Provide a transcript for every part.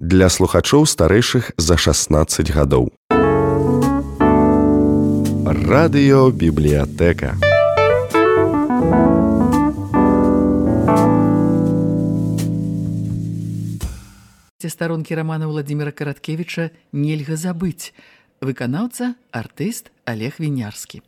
Для слухачоў старэйшых за 16 гадоў. Радыёбібліятэка. Старонкі рамана Владзіміра Караткевіча нельга забыць. Выканаўца, артыст Олег Вінярскі.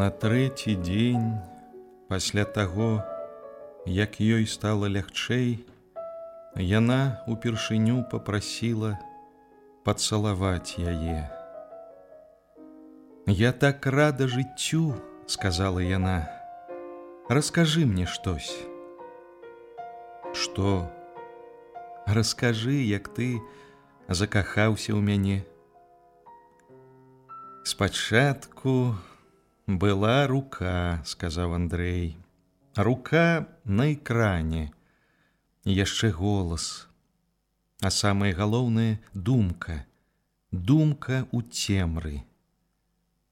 На трэці дзень пасля таго, як ёй стала лягчэй, яна упершыню папрасіла пацалаваць яе. «Я так рада жыццю», — сказала яна, — «раскажы мне штось». «Што? Раскажы, як ты закахаўся ў мяне». «Спачатку была рука», — сказаў Андрэй. «Рука на экране, яшчэ голас. А самае галоўнае — думка. Думка ў цемры.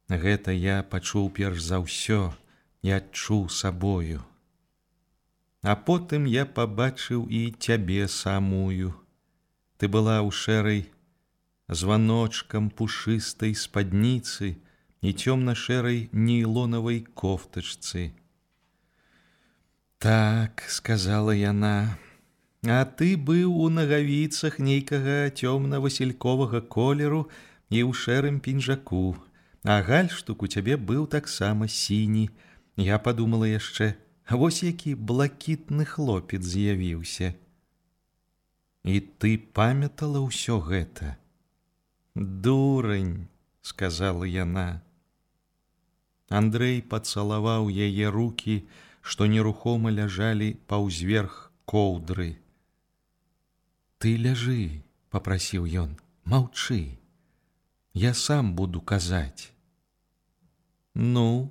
Гэта я пачуў перш за ўсё і адчуў сабою. А потым я пабачыў і цябе самую. Ты была ў шэрай званочкам пушыстай спадніцы і цёмна-шэрай нейлонавай кофтачцы». «Так», — сказала яна, — «а ты быў у нагавіцах нейкага цёмна-васільковага колеру і ў шэрым пінжаку, а гальштук у цябе быў таксама сіні. Я падумала яшчэ, вось які блакітны хлопец з'явіўся». «І ты памятала ўсё гэта?» «Дурань», — сказала яна. Андрэй пацалаваў яе рукі, што нерухома ляжалі паўзверх коўдры. «Ты ляжы», — папрасіў ён, — «маўчы. Я сам буду казаць». «Ну?»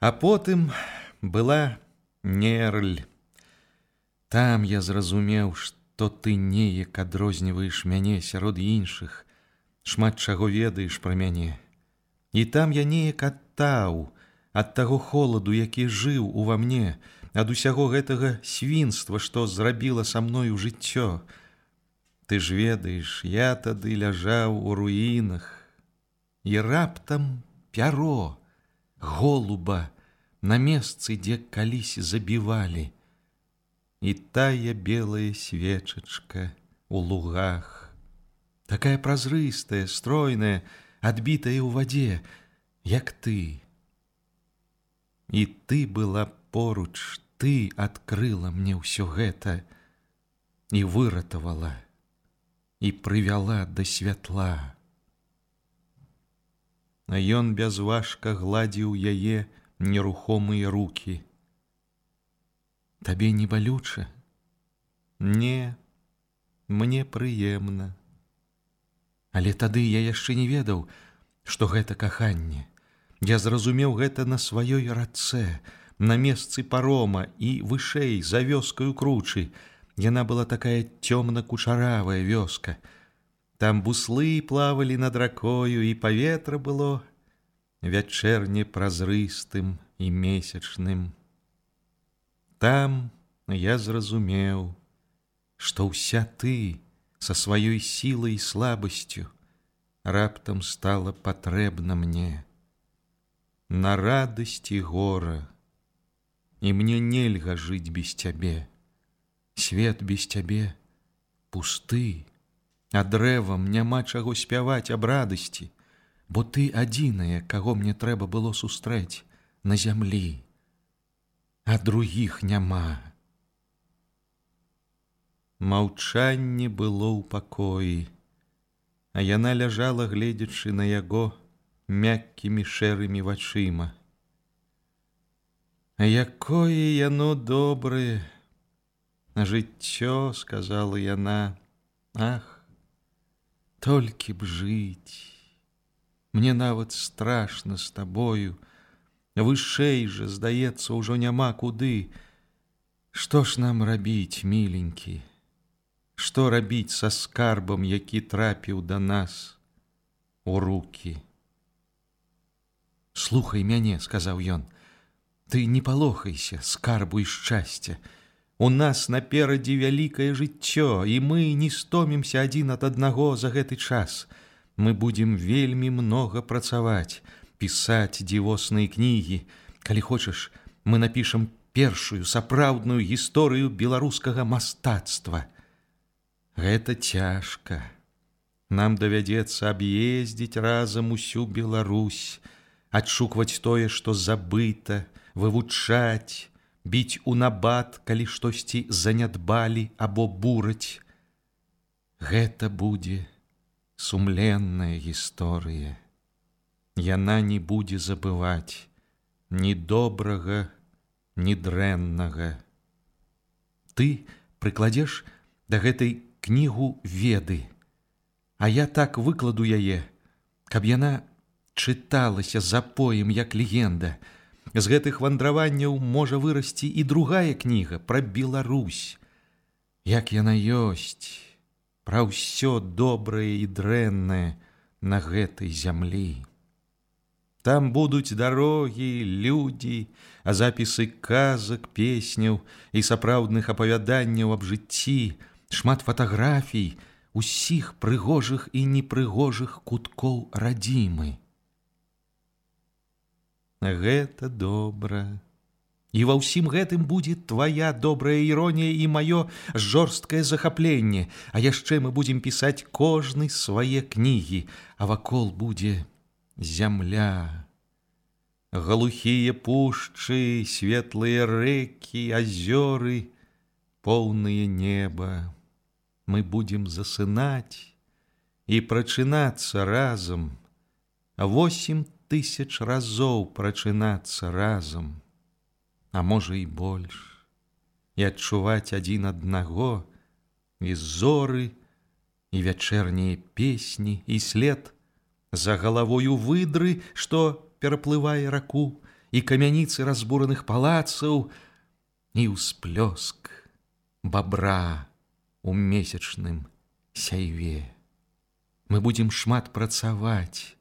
А потым была нерль. Там я зразумеў, што ты неяк адрозніваеш мяне сярод іншых, шмат чаго ведаеш пра мяне. І там я неяк адтаў ад таго холаду, які жыў ува мне, ад усяго гэтага свінства, што зрабіла са мною жыццё. Ты ж ведаеш, я тады ляжаў у руінах, і раптам пяро голуба на месцы, дзе калісь забівалі, і тая белая свечачка у лугах, такая празрыстая, стройная, адбітая ў вадзе, як ты. І ты была поруч, ты адкрыла мне ўсё гэта і выратавала, і прывяла да святла». А ён бязважка гладзіў яе нерухомыя рукі. «Табе не балюча?» «Не, мне прыемна». Але тады я яшчэ не ведаў, што гэта каханне. Я зразумеў гэта на сваёй рацэ, на месцы парома і вышэй, за вёскаю кручы. Яна была такая цёмна-кучаравая вёска. Там буслы плавалі над ракою, і паветра было вячэрне празрыстым і месячным. Там я зразумеў, што ўся ты са сваёй сілай і слабасцю раптам стала патрэбна мне на радасць і гора, і мне нельга жыць без цябе. Свет без цябе пусты, а дрэвам няма чаго спяваць аб радасці, бо ты адзіная, каго мне трэба было сустрэць на зямлі, а другіх няма». Маўчанне было ў пакоі, а яна ляжала, гледзячы на яго мяккімі шэрымі вачыма. Якое яно добрае жыццё, сказала яна. Ах, толькі б жыць. Мне нават страшна з табою. Вышэй жа, здаецца, ўжо няма куды. Што ж нам рабіць, міленькі? Што рабіць са скарбам, які трапіў да нас у рукі? Слухай мяне, сказаў ён. Ты не палохайся, скарбу і шчасця. У нас наперадзе вялікае жыццё, і мы не стомімся адзін ад аднаго за гэты час. Мы будзем вельмі многа працаваць, пісаць дзівосныя кнігі. Калі хочаш, мы напішам першую сапраўдную гісторыю беларускага мастацтва. Гэта цяжка. Нам давядзецца аб'ездзіць разам усю Беларусь, адшукваць тое, што забыта, вывучаць, біць у набат, калі штосьці занядбалі або бураць. Гэта будзе сумленная гісторыя. Яна не будзе забываць ні добрага, ні дрэннага. Ты прыкладзеш да гэтай кнігу веды, а я так выкладу яе, каб яна чыталася запоем, як легенда. З гэтых вандраванняў можа вырасці і другая кніга пра Беларусь. Як яна ёсць, пра ўсё добрае і дрэннае на гэтай зямлі. Там будуць дарогі, людзі, а запісы казак, песняў і сапраўдных апавяданняў аб жыцці, шмат фатаграфій, усіх прыгожых і непрыгожых куткоў радзімы. Гэта добра. І ва ўсім гэтым будзе твая добрая іронія і маё жорсткае захапленне, а яшчэ мы будзем пісаць кожны свае кнігі, а вакол будзе зямля. Глухія пушчы, светлыя рэкі, азёры, поўнае неба. Мы будзем засынаць і прачынацца разам, 8000 разоў прачынацца разам, а можа і больш, і адчуваць адзін аднаго, і зоры, і вячэрнія песні, і след за галавою выдры, што пераплывае раку, і камяніцы разбураных палацаў, і ўсплёск бабра у месячным сяйве. Мы будзем шмат працаваць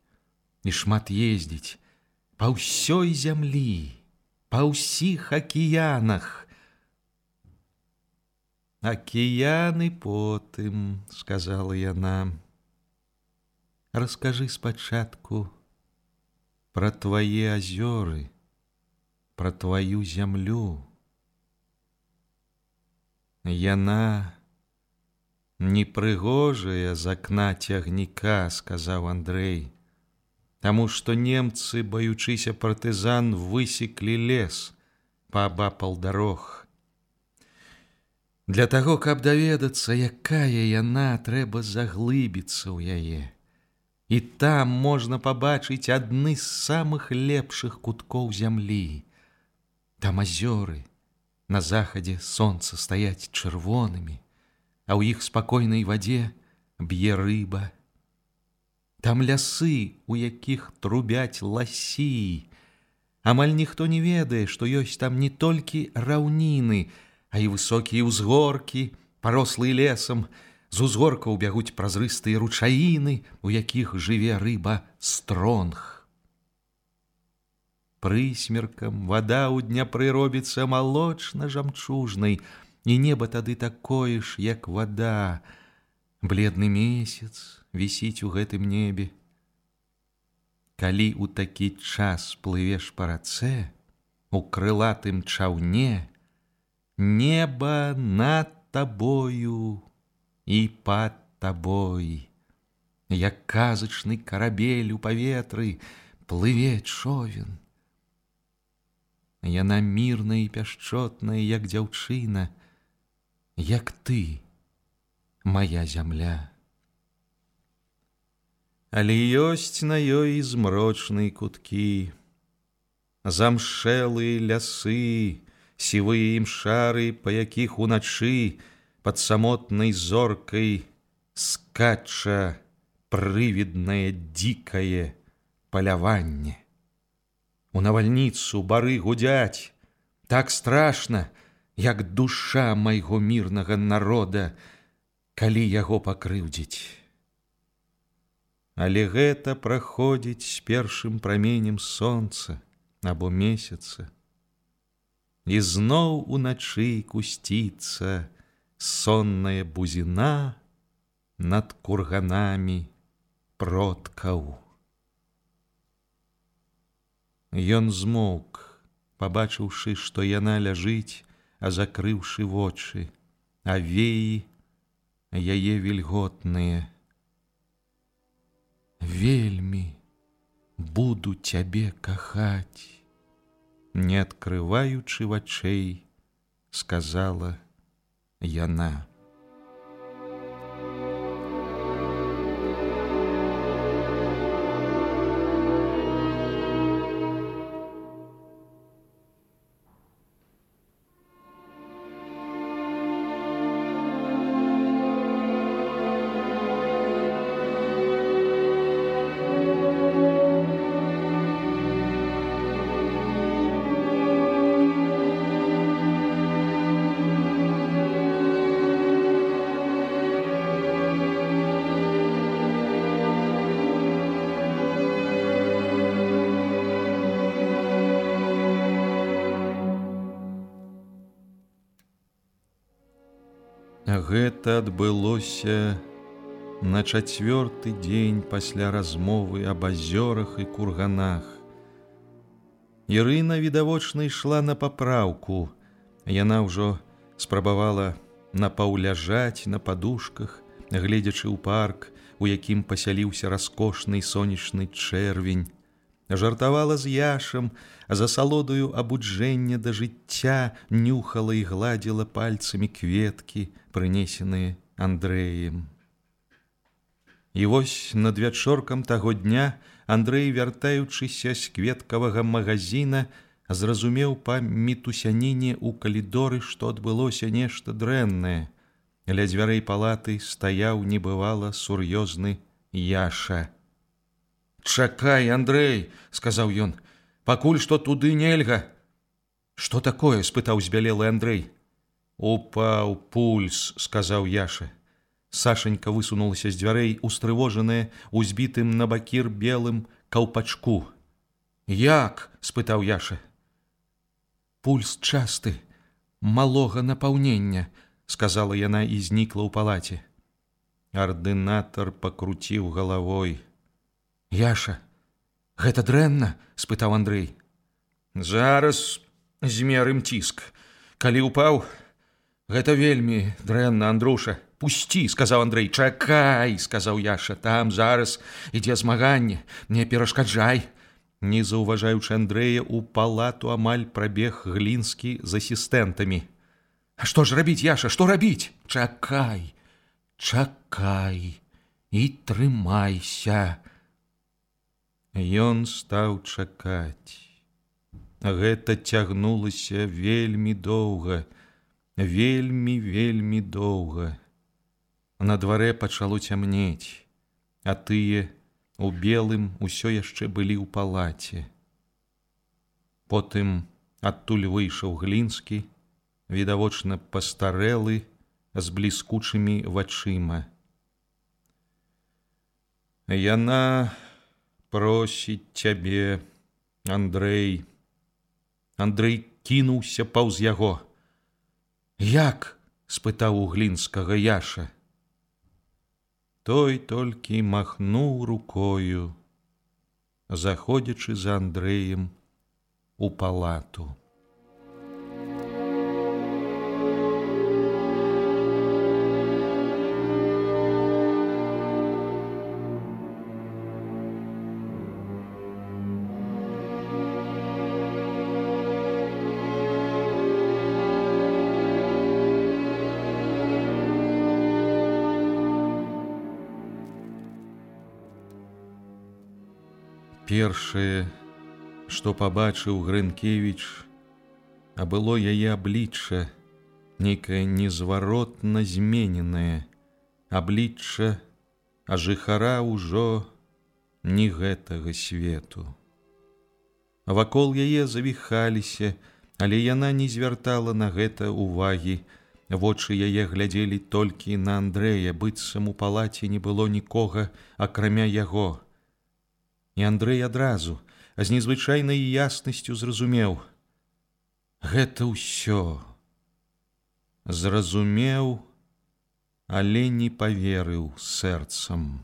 і шмат ездзіць па ўсёй зямлі, па ўсіх акіянах. Акіяны потым, сказала яна. Раскажы спачатку пра твае азёры, пра тваю зямлю. Яна непрыгожая з акна цягніка, сказаў Андрэй, таму што немцы, баючыся партызан, высеклі лес паабапал дарог. Для таго, каб даведацца, якая яна, трэба заглыбіцца ў яе. І там можна пабачыць адны з самых лепшых куткоў зямлі. Там азёры, на захадзе сонца стаяць чырвонымі, а ў іх спакойнай вадзе б'е рыба. Там лясы, у якіх трубяць ласі. Амаль ніхто не ведае, што ёсць там не толькі раўніны, а і высокія ўзгоркі, парослыя лесам. З узгоркаў бягуць празрыстыя ручаіны, у якіх жыве рыба стронг. Прысмеркам вада ў Дняпры робіцца малочна-жамчужнай, і неба тады такое ж, як вада. Бледны месяц вісіць у гэтым небе. Калі ў такі час плывеш па рацэ, у крылатым чаўне, неба над табою і пад табой, як казачны карабель у паветры, плыве човен. Яна мірная і пяшчотная, як дзяўчына, як ты, моя зямля. Але ёсць на ёй змрочныя куткі. Замшэлыя лясы, сівыя імшары, па якіх уначы пад самотнай зоркай скача прывіднае дзікае паляванне. У навальніцу бары гудзяць так страшна, як душа майго мірнага народа, калі яго пакрыўдзіць. Але гэта праходзіць з першым праменем сонца або месяца, і зноў уначы кусціцца сонная бузіна над курганамі продкаў. Ён змоўк, пабачыўшы, што яна ляжыць, а закрыўшы вочы, а веі яе вільготныя. Вельмі буду цябе кахаць, не адкрываючы вачэй, сказала яна. Гэта адбылося на 4-й дзень пасля размовы аб азёрах і курганах. Ірына відавочна ішла на папраўку. Яна ўжо спрабавала напаўляжаць на падушках, гледзячы ў парк, у якім пасяліўся раскошны сонечны чэрвень. Жартавала з Яшам, а за асалодаю абуджэння да жыцця нюхала і гладзіла пальцамі кветкі, прынесеныя Андрэем. І вось над вячоркам таго дня Андрэй, вяртаючыся з кветкавага магазіна, зразумеў па мітусяніне ў калідоры, што адбылося нешта дрэннае. Ля дзвярэй палаты стаяў небывала сур'ёзны Яша. «Чакай, Андрэй!» – сказаў ён. «Пакуль што туды нельга!» «Што такое?» – спытаў збялелы Андрэй. «Упаў пульс!» – сказаў Яша. Сашенька высунулася з дзвярэй, устрывожаная узбітым на бакір белым каўпачку. «Як?» – спытаў Яша. «Пульс часты, малога напаўнення», – сказала яна і знікла ў палаце. Ардынатар пакруціў галавой. «Яша, гэта дрэнна?» – спытаў Андрэй. «Зараз змерым ціск. Калі ўпаў, гэта вельмі дрэнна, Андруша. Пусці!» – сказаў Андрэй. «Чакай!» – сказаў Яша. «Там зараз ідзе змаганне. Не перашкаджай!» Не заўважаючы Андрэя, у палату амаль прабег Глінскі з асістэнтамі. «А што ж рабіць, Яша, што рабіць?» «Чакай, чакай і трымайся!» Ён стаў чакаць. Гэта цягнулася вельмі доўга, вельмі доўга. На дварэ пачало цямнець, а тыя у белым усё яшчэ былі ў палаце. Потым адтуль выйшаў Глінскі, відавочна пастарэлы, з бліскучымі вачыма. «Яна просіць цябе, Андрэй!» Андрэй кінуўся паўз яго. «Як?» – спытаў у Глінскага Яша. Той толькі махнуў рукою, заходзячы за Андрэем у палату. Першае, што пабачыў Грынкевіч, а было яе аблічча, нейкае незваротна змененае, аблічча, а жыхара ўжо не гэтага свету. Вакол яе завіхаліся, але яна не звяртала на гэта увагі. Вочы яе глядзелі толькі на Андрэя, быццам у палаце не было нікога, акрамя яго. І Андрэй адразу, а з незвычайнай яснасцю зразумеў. Гэта ўсё. Зразумеў, але не паверыў сэрцам.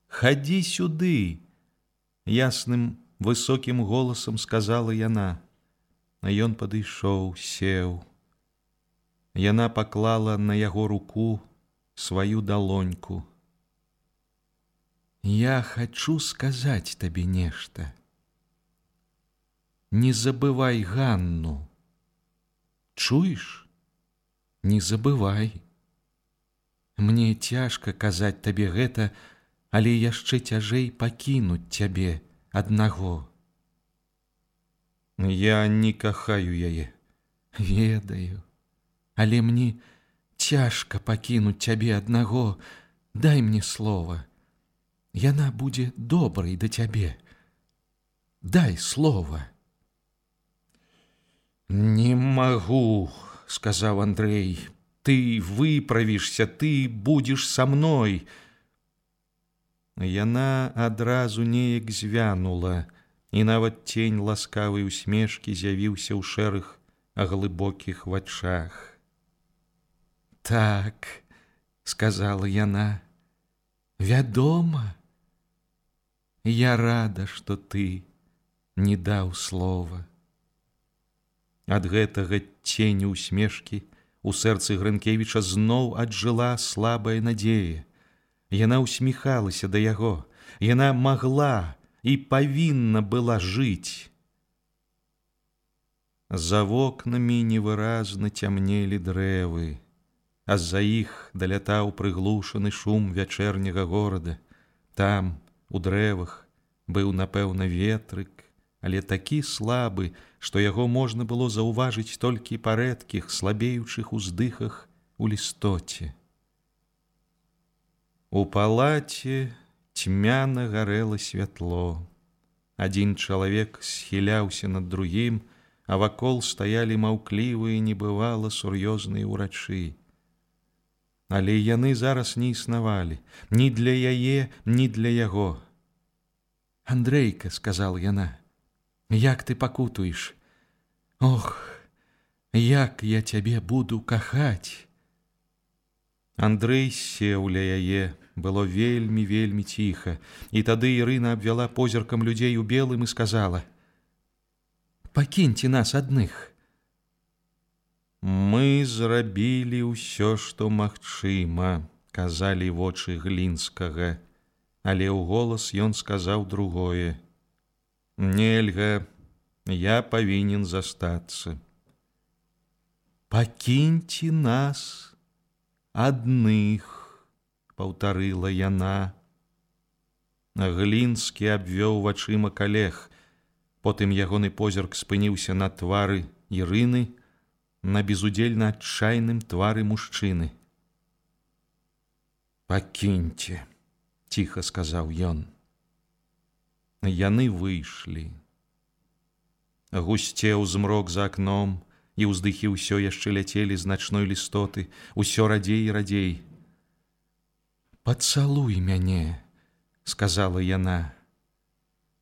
«Хадзі сюды!» Ясным, высокім голасам сказала яна. А ён падышоў, сеў. Яна паклала на яго руку сваю далоньку. «Я хачу сказаць табе нешта. Не забывай Ганну. Чуеш? Не забывай. Мне цяжка казаць табе гэта, але яшчэ цяжэй пакінуць цябе аднаго. Я не кахаю яе. Ведаю. Але мне цяжка пакінуць цябе аднаго. Дай мне слова. Яна будзе добрай да цябе. Дай слова». «Не магу», — сказаў Андрэй. «Ты выправішся, ты будзеш са мной». Яна адразу неяк звянула, і нават цень ласкавай усмешкі з'явіўся ў шэрых, глыбокіх вачах. «Так», — сказала яна, — «вядома, я рада, што ты не даў слова». Ад гэтага ценю усмешкі у сэрцы Грынкевіча зноў аджыла слабая надзея. Яна усміхалася да яго. Яна магла і павінна была жыць. За вокнамі невыразна цямнелі дрэвы, а з-за іх далятаў прыглушаны шум вячэрняга горада. Там, у дрэвах, быў, напэўна, ветрык, але такі слабы, што яго можна было заўважыць толькі па рэдкіх, слабеючых уздыхах у лістоце. У палаце цьмяна гарэла святло. Адзін чалавек схіляўся над другім, а вакол стаялі маўклівыя, небывала сур'ёзныя ўрачы. Але яны зараз не існавалі ні для яе, ні для яго. «Андрейка», — сказала яна, — «як ты пакутуеш? Ох, як я цябе буду кахаць!» Андрэй сеў ля яе, было вельмі ціха, і тады Ірына абвяла позіркам людзей у белым і сказала: «Пакіньце нас адных». «Мы зрабілі ўсё, што магчыма», — казалі вочы Глінскага, але ў голас ён сказаў другое: «Нельга, я павінен застацца». «Пакіньце нас адных», — паўтарыла яна. Глінскі абвёў вачыма калег. Потым ягоны позірк спыніўся на твары Ірыны, на безудзельна адчайным твары мужчыны. «Пакіньце», — ціха сказаў ён. Яны выйшлі. Гусцеў змрок за акном, і ўздыхі ўсё яшчэ ляцелі з начной лістоты, усё радзей і радзей. «Пацалуй мяне», — сказала яна.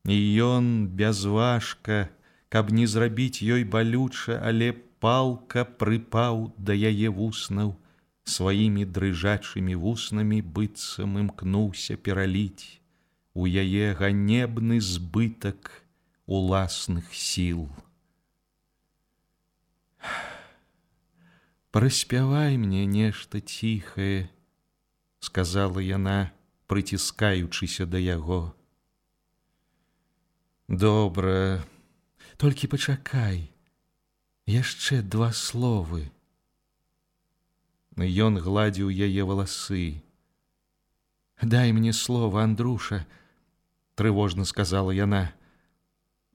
І ён бязважка, каб не зрабіць ёй балюча, але палка прыпаў да яе вуснаў, сваімі дрыжачымі вуснамі быццам імкнуўся пераліць у яе ганебны збытак уласных сіл. «Праспявай мне нешта ціхае», — сказала яна, прыціскаючыся да яго. «Добра, толькі пачакай, яшчэ 2 словы». Ён гладзіў яе валасы. «Дай мне слова, Андруша», — трывожна сказала яна.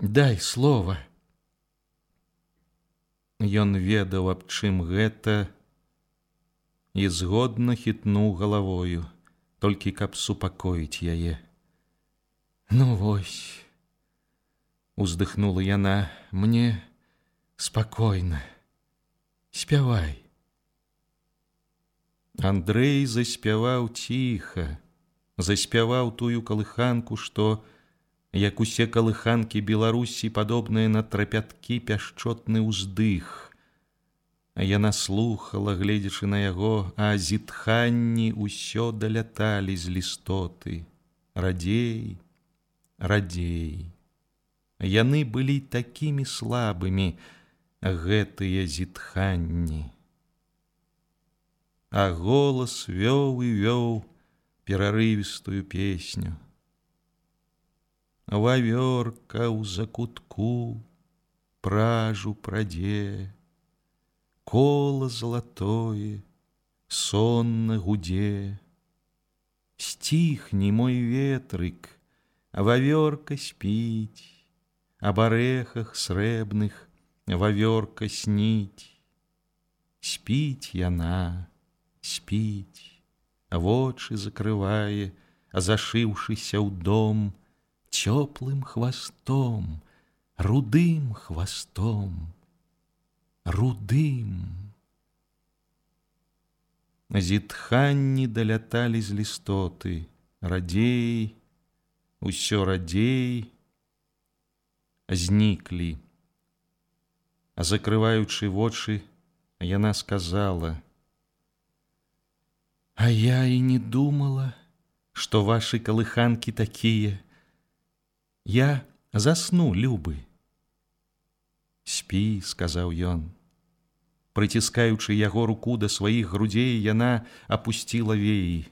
Дай слова. Ён ведаў, аб чым гэта, і згодна хітнуў галавою, толькі каб супакоіць яе. Ну вось, уздыхнула яна, мне спакойна. Спявай. Андрэй заспяваў ціха, заспяваў тую калыханку, што, як усе калыханкі Беларусі, падобныя на трапяткі, пяшчотны ўздых. А яна слухала, гледзячы на яго, а зітханні ўсё даляталі з лістоты. Радзей, радзей. Яны былі такімі слабымі, гэтыя зітханні. А голас вёў і вёў перарывістую песню. Вавёрка ў закутку пражу прадзе, кола залатое сонна гудзе. Сціхні, мой ветрык, вавёрка спіць, аб арэхах срэбных вавёрка сніць. Спіць яна, спіць, вочы закрывае, зашыўшыся ў дом цёплым хвастом, рудым хвастом, рудым. Зітханні даляталі з лістоты, радзей, усё радзей, зніклі. А закрываючы вочы, яна сказала: а я і не думала, што вашы калыханкі такія. Я засну, любы. Спі, сказаў ён. Прыціскаючы яго руку да сваіх грудзей, яна апусціла веі.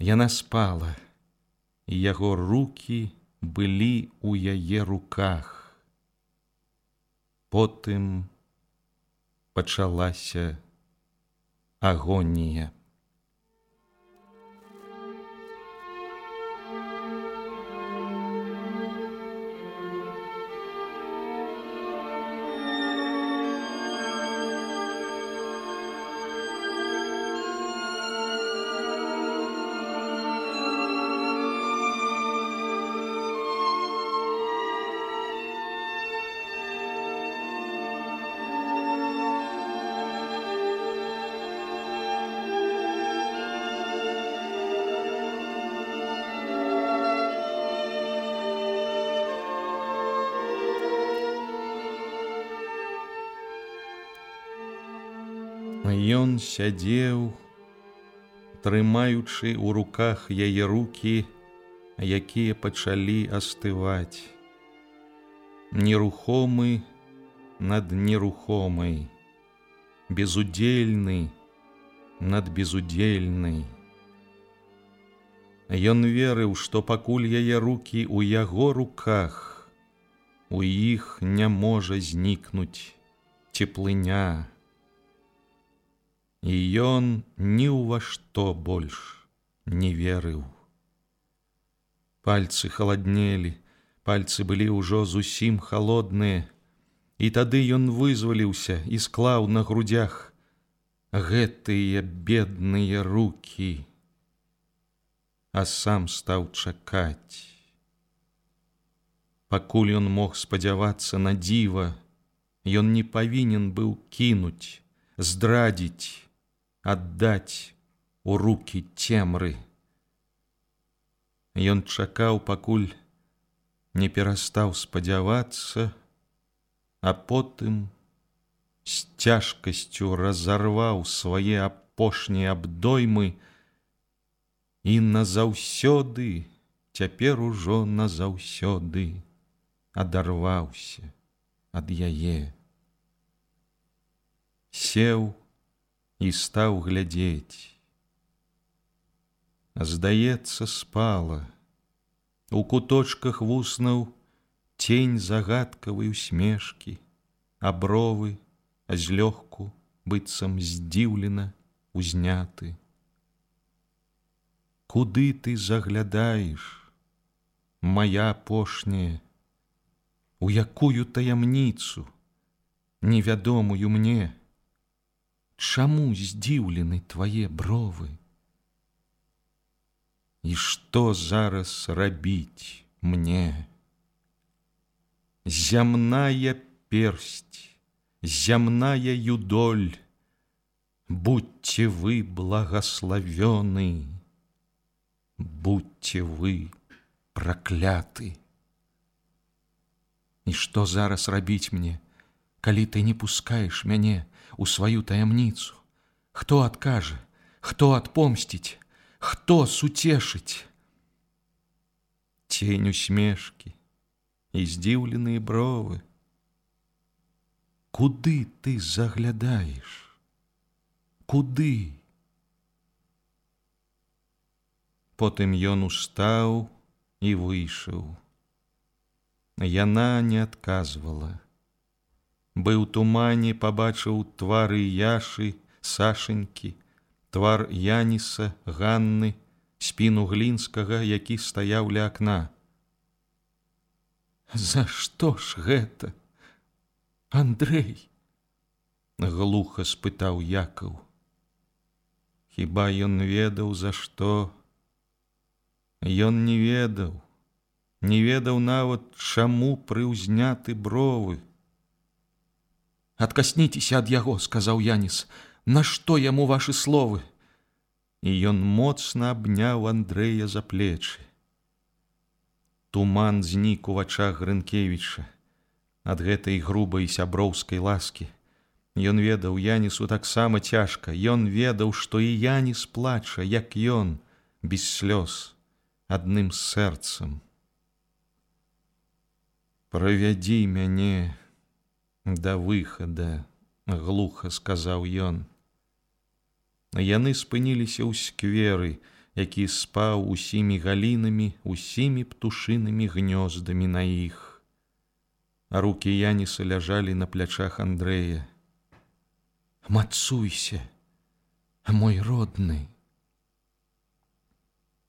Яна спала, і яго рукі былі ў яе руках. Потым пачалася агонія. Ён сядзеў, трымаючы ў руках яе рукі, якія пачалі астываць. Нерухомы над нерухомай, безудзельны над безудзельнай. Ён верыў, што пакуль яе рукі ў яго руках, у іх не можа знікнуць цеплыня. І ён ні ў ва што больш не верыў. Пальцы халаднелі, пальцы былі ўжо зусім халодныя, і тады ён вызваліўся і склаў на грудях гэтыя бедныя рукі, а сам стаў чакаць. Пакуль ён мог спадзявацца на дзіва, ён не павінен быў кінуць, здрадзіць, аддаць у рукі цемры. Ён чакаў, пакуль не перастаў спадзявацца, а потым з цяжкасцю разарваў свае апошнія абдоймы і назаўсёды, цяпер ужо назаўсёды адарваўся ад яе. Сеў і стаў глядзець. Здаецца, спала. У куточках вуснаў цень загадкавай усмешкі, а бровы злёгку, быццам здзіўлена, узняты. Куды ты заглядаеш, мая апошняя, у якую таямніцу, невядомую мне. Чаму здзіўлены твае бровы? І што зараз рабіць мне? Зямная персць, зямная юдоль, будьте вы благословены, будьте вы пракляты. І што зараз рабіць мне, калі ты не пускаеш мяне у сваю таямніцу? Хто адкажа, хто адпомсціць, хто суцешыць? Цень усмешкі і здзіўленыя бровы. Куды ты заглядаеш? Куды? Потым ён устаў і выйшаў. Яна не адказвала. Быў тумане, пабачыў твары Яшы, Сашенькі, твар Яніса, Ганны, спіну Глінскага, які стаяў ля акна. За што ж гэта, Андрэй? Глуха спытаў Якаў. Хіба ён ведаў, за што? Ён не ведаў. Не ведаў нават, чаму прыўзняты бровы. «Адкасніцеся ад яго», — сказаў Яніс. «Нашто яму вашы словы?» І ён моцна абняў Андрэя за плечы. Туман знік у вачах Грынкевіча ад гэтай грубай сяброўскай ласкі. Ён ведаў, Янісу таксама цяжка. Ён ведаў, што і Яніс плача, як ён, без слёз, адным сэрцам. «Правядзі мяне да выхада», — глуха сказаў ён. Яны спыніліся ў скверы, які спаў усімі галінамі, усімі птушынымі гнёздамі на іх. А рукі Яніса ляжалі на плячах Андрэя. «Мацуйся, мой родны».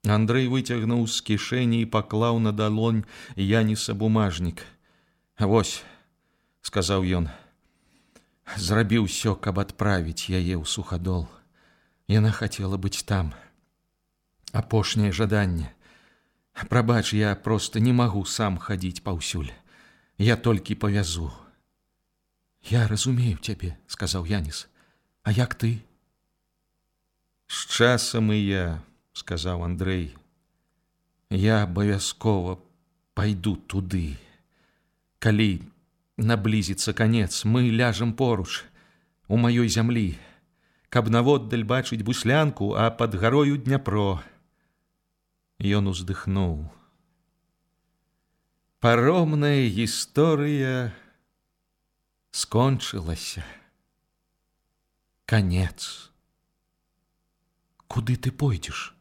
Андрэй выцягнуў з кішэні і паклаў на далонь Яніса бумажнік. «Вось», — сказаў ён, — «зрабіў усё, каб адправіць яе ў Сухадол. Яна хацела быць там. Апошняе жаданне. Прабач, я проста не магу сам хадзіць паўсюль. Я толькі павязу». «Я разумею цябе», — сказаў Яніс. «А як ты?» «З часам і я», — сказаў Андрэй. «Я абавязкова пайду туды. Калі наблізіцца канец, мы ляжам поруч, у маёй зямлі, каб наводдаль бачыць Буслянку, а пад гарою Дняпро». Ён уздыхнуў. Паромная гісторыя скончылася. Канец. «Куды ты пойдзеш?»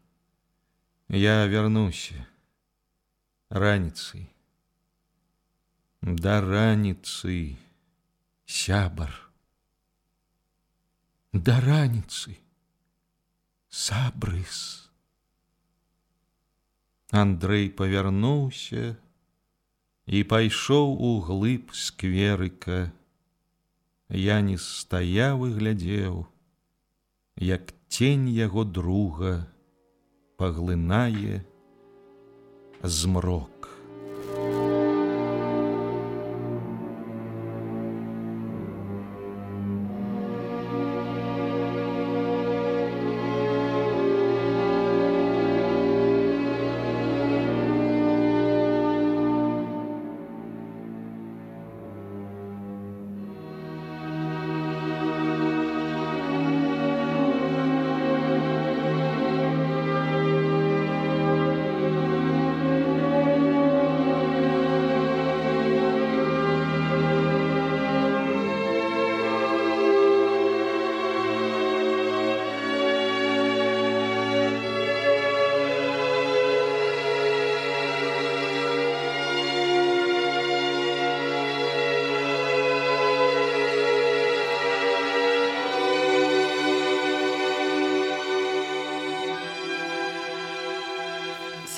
«Я вярнуся. Раніцай. Да раніцы, сябар. Да раніцы, сабрыс». Андрэй павярнуўся і пайшоў у глыб скверыка. Яніс стаяў і глядзеў, як цень яго друга паглынае змрок.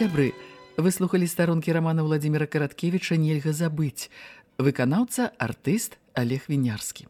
Сябры, выслухалі старонкі рамана Владзіміра Караткевіча «Нельга забыць». Выканаўца артыст Олег Вінярскі.